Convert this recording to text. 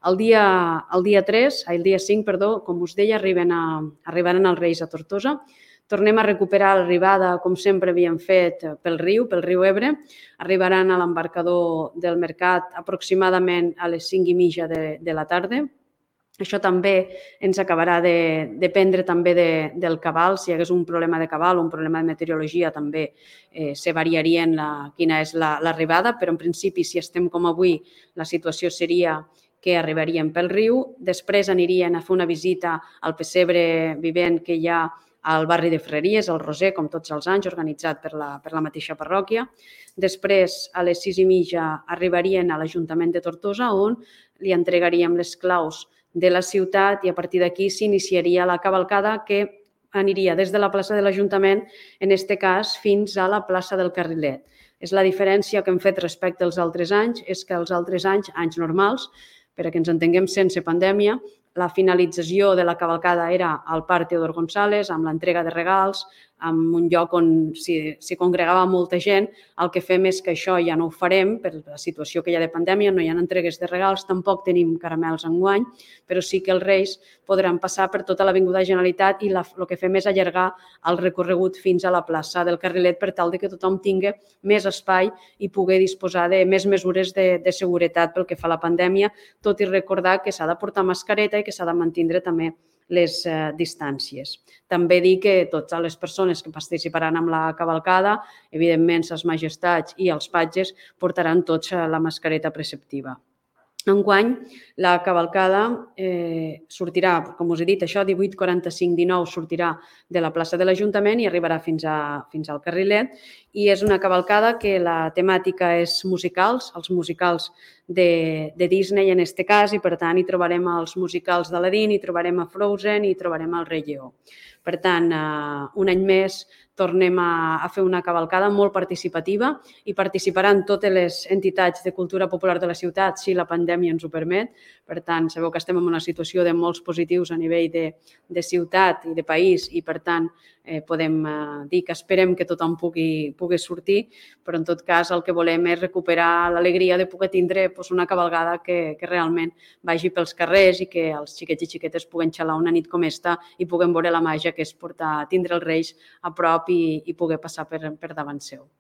El dia 5, com us deia, arribaran els Reis a Tortosa. Tornem a recuperar l'arribada, com sempre havíem fet, pel riu Ebre. Arribaran a l'embarcador del Mercat aproximadament a les 5:30 de la tarda. Això també ens acabarà de dependre també del cabal. Si hi hagués un problema de cabal o un problema de meteorologia, també se variarien quina és l'arribada, però en principi, si estem com avui, la situació seria que arribarien pel riu. Després anirien a fer una visita al pessebre vivent que hi ha al barri de Ferreries, al Roser, com tots els anys, organitzat per la mateixa parròquia. Després, a les 6:30, arribarien a l'Ajuntament de Tortosa, on li entregaríem les claus de la ciutat i a partir d'aquí s'iniciaria la cavalcada que aniria des de la plaça de l'Ajuntament, en aquest cas, fins a la plaça del Carrilet. És la diferència que hem fet respecte als altres anys, és que els altres anys normals, perquè ens entenguem sense pandèmia, la finalització de la cavalcada era al Parc Teodor González, amb l'entrega de regals, en un lloc on s'hi congregava molta gent. El que fem és que això ja no ho farem per la situació que hi ha de pandèmia, no hi ha entregues de regals, tampoc tenim caramels enguany, però sí que els Reis podran passar per tota l'Avinguda Generalitat i el que fem és allargar el recorregut fins a la plaça del Carrilet per tal que tothom tingui més espai i pugui disposar de més mesures de seguretat pel que fa a la pandèmia, tot i recordar que s'ha de portar mascareta i que s'ha de mantenir també les distàncies. També dir que totes les persones que participaran en la cavalcada, evidentment les majestats i els patges, portaran tots la mascareta preceptiva. Enguany, la cavalcada sortirà, com us he dit, això 18:45-19 sortirà de la plaça de l'Ajuntament i arribarà fins al Carrilet, i és una cavalcada que la temàtica és musicals, els musicals de Disney en aquest cas, i per tant hi trobarem els musicals d'Aladín, hi trobarem a Frozen i hi trobarem el Rei Lleó. Per tant, un any més tornem a fer una cavalcada molt participativa i participaran totes les entitats de cultura popular de la ciutat si la pandèmia ens ho permet. Per tant, sabeu que estem en una situació de molts positius a nivell de ciutat i de país i, per tant, podem dir que esperem que tothom pugui sortir, però en tot cas el que volem és recuperar l'alegria de poder tindre una cavalgada que realment vagi pels carrers i que els xiquets i xiquetes puguen xalar una nit com esta i puguen veure la màgia que és tindre els Reis a prop i poder passar per davant seu.